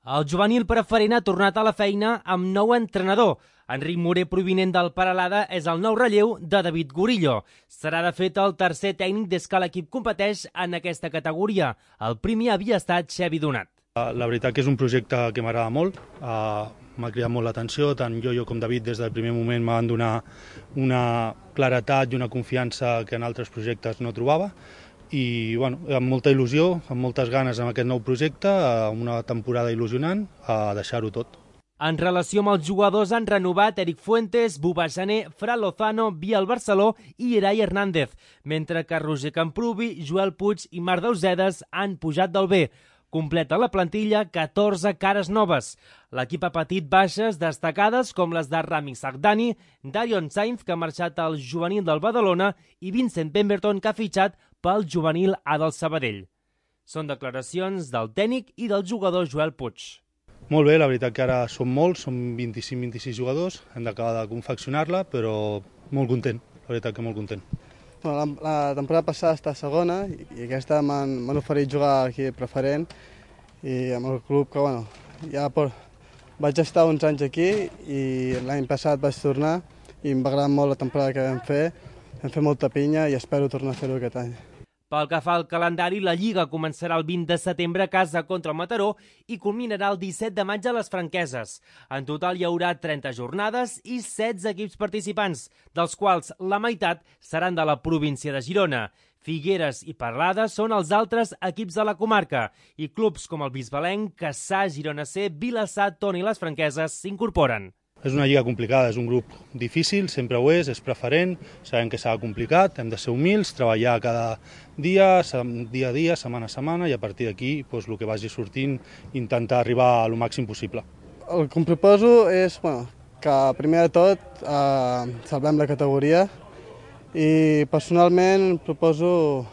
El juvenil preferent ha tornat a la feina amb nou entrenador. Enric Moré, provinent del Peralada, és el nou relleu de David Gorillo. Serà, de fet, el tercer tècnic des que l'equip competeix en aquesta categoria. El primer havia estat Xevi Donat. La veritat que és un projecte que m'agrada molt, m'ha cridat molt l'atenció, tant jo com David des del primer moment m'han donat una claretat i una confiança que en altres projectes no trobava. I amb molta il·lusió, amb moltes ganes en aquest nou projecte, una temporada il·lusionant, a deixar-ho tot. En relació amb els jugadors, han renovat Eric Fuentes, Buba Jané, Fran Lozano, Biel Barceló i Irai Hernández, mentre que Roger Camprubi, Joel Puig i Marc Deusedes han pujat del B. Completa la plantilla 14 cares noves. L'equip ha patit baixes destacades com les de Rami Sardani, Darion Sainz, que ha marxat al juvenil del Badalona, i Vincent Pemberton, que ha fitxat pel juvenil A del Sabadell. Són declaracions del tècnic i del jugador Joel Puig. Molt bé, la veritat que ara som molts, som 25-26 jugadors, hem d'acabar de confeccionar-la, però molt content, la veritat que molt content. La temporada passada està segona i aquesta m'han oferit jugar aquí preferent i amb el club que ja vaig estar uns anys aquí i l'any passat vaig tornar i em va agradar molt la temporada que vam fer molta pinya i espero tornar a fer-ho aquest any. Pel que fa al calendari, la Lliga començarà el 20 de setembre a casa contra el Mataró i culminarà el 17 de maig a les Franqueses. En total hi haurà 30 jornades i 16 equips participants, dels quals la meitat seran de la província de Girona. Figueres i Peralada són els altres equips de la comarca i clubs com el Bisbalenc, Cassà, Girona C, Vilassar, Tona i les Franqueses s'incorporen. És una lliga complicada, és un grup difícil, sempre ho és preferent, sabem que serà complicat, hem de ser humils, treballar cada dia a dia, setmana a setmana, i a partir d'aquí el que vagi sortint, intentar arribar al màxim possible. El que em proposo és que primer de tot salvem la categoria i personalment proposo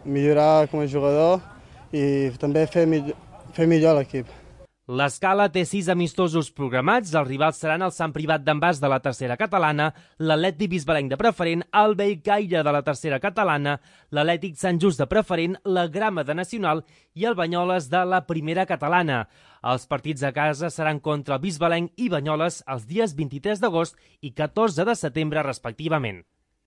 millorar com a jugador i també fer millor l'equip. L'Escala té 6 amistosos programats. Els rivals seran el Sant Privat d'en Bas de la tercera catalana, l'Atlètic Bisbalenc de preferent, el Bellcaire de la tercera catalana, l'Atlètic Sant Just de preferent, la Grama de nacional i el Banyoles de la primera catalana. Els partits a casa seran contra el Bisbalenc i Banyoles els dies 23 d'agost i 14 de setembre respectivament.